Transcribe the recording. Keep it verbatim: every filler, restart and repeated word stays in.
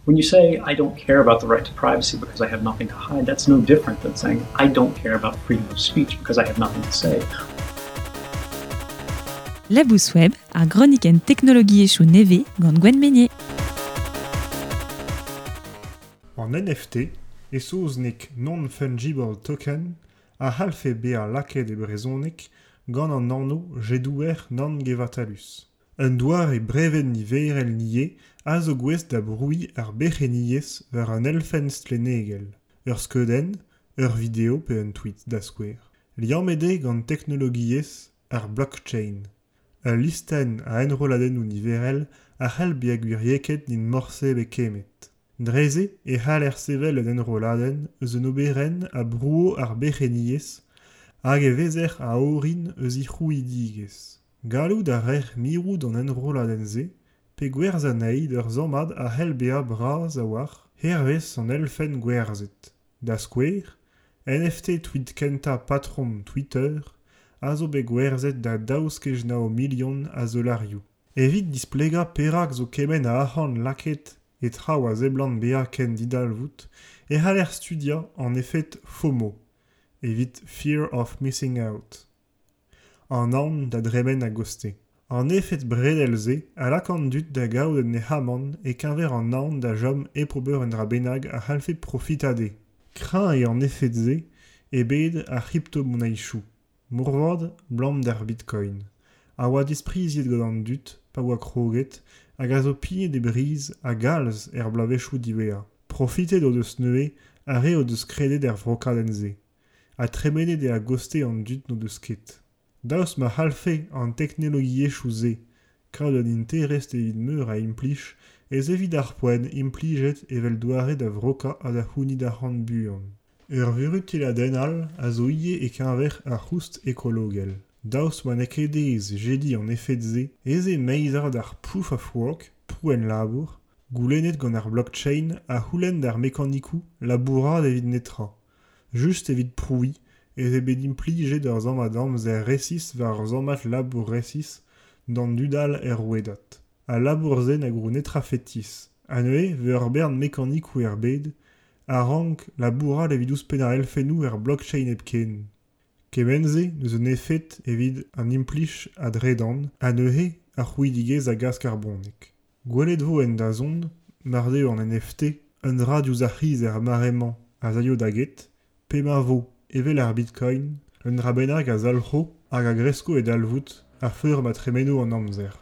When you say, I don't care about the right to privacy because I have nothing to hide, that's no different than saying, I don't care about freedom of speech because I have nothing to say. Labous Web, ar gronikenn teknologiezhioù nevez gant Gwen Menier. An N F T, e saozneg non-fungible token, a c'hallfe bezañ lakaet e brezhoneg gant an anv jedouer nann-gevatalus. Un doare brevet niverel niez a zo gouest da brouiñ ar berc'henniezh war an elfenn stlennegel, ur skeudenn, ur video pe un tweet da skouer. Liammet eo gant teknologiezh ar blockchain. Ul listenn a enrolladennoù niverel a c'hall bezañ gwiriekaet n'int morse bet kemmet. Dre-se e c'haller sevel un enrolladenn eus un oberenn a brouo ar berc'henniezh hag e vezer a orin eus he c'hrouidigezh. Gallout a reer mirout an enrolladenn-se pe gwerzh anezhi d'ur sammad a c'hell bezañ bras a-walc'h hervez an elfenn gwerzhet. Da skouer, N F T tweet kentañ patrom Twitter a zo bet gwerzhet da daou skej nav milion a zollarioù. Evit displegañ perak zo kement a arc'hant lakaet e traoù a seblant bezañ ken didalvoud e c'haller studiañ an efed FOMO, evit Fear of Missing Out. An aon da dremen a-goste. An efed bredel-se a lak an dud da gaout un nec'hamant e-keñver an aon da chom hep ober un dra bennak a c'hallfe profitañ dezhe. Kreñv eo an efed-se e bed ar c'hriptomoneizoù, moarvat 'blam d'ar bitcoin, a oa dispriziet gant an dud pa oa kroget hag a zo pignet e briz a galz er bloavezhioù diwezhañ. Profitet o deus neuze ar re o deus kredet er vrokadenn-se, ha tremenet eo a-goste an dud n'o deus ket. Daoust ma c'hallfe an teknologiezhioù-se kaout un interest evit meur a implij ez evit ar poent implijet evel doare da vrokañ ha da c'hounit arc'hant buan. Ur vuruteladenn all a zo ivez e-keñver ar c'houst ekologel. Daoust ma n'eo ket aes jediñ an efed-se ez eo meizad ar proof of work, prouenn labour, goulennet gant ar blockchain a c'houlenn d'ar mekanikoù labourat evit netra, just evit prouiñ ez eo bet implijet ur sammad amzer resis war ur sammad labour resis d'an dud all er rouedad. Al labour-se na grou netra fetis. Ha neuze vez ur bern mekanikoù er bed a rank labourat evit ouzhpennañ elfennoù er blockchain hepken. Kement-se n'eus un efed evit an implij a dredan ha neuze ar c'hrouidigezh a gas karbonek. Gwelet vo en dazont, mar deo an N F T, un dra diouzh ar c'hiz er mare-mañ a zaio da get, pe ma vo evel ar bitcoin, un dra bennak a zalc'ho hag a gresko e dalvoud a feur ma tremeno an amzer.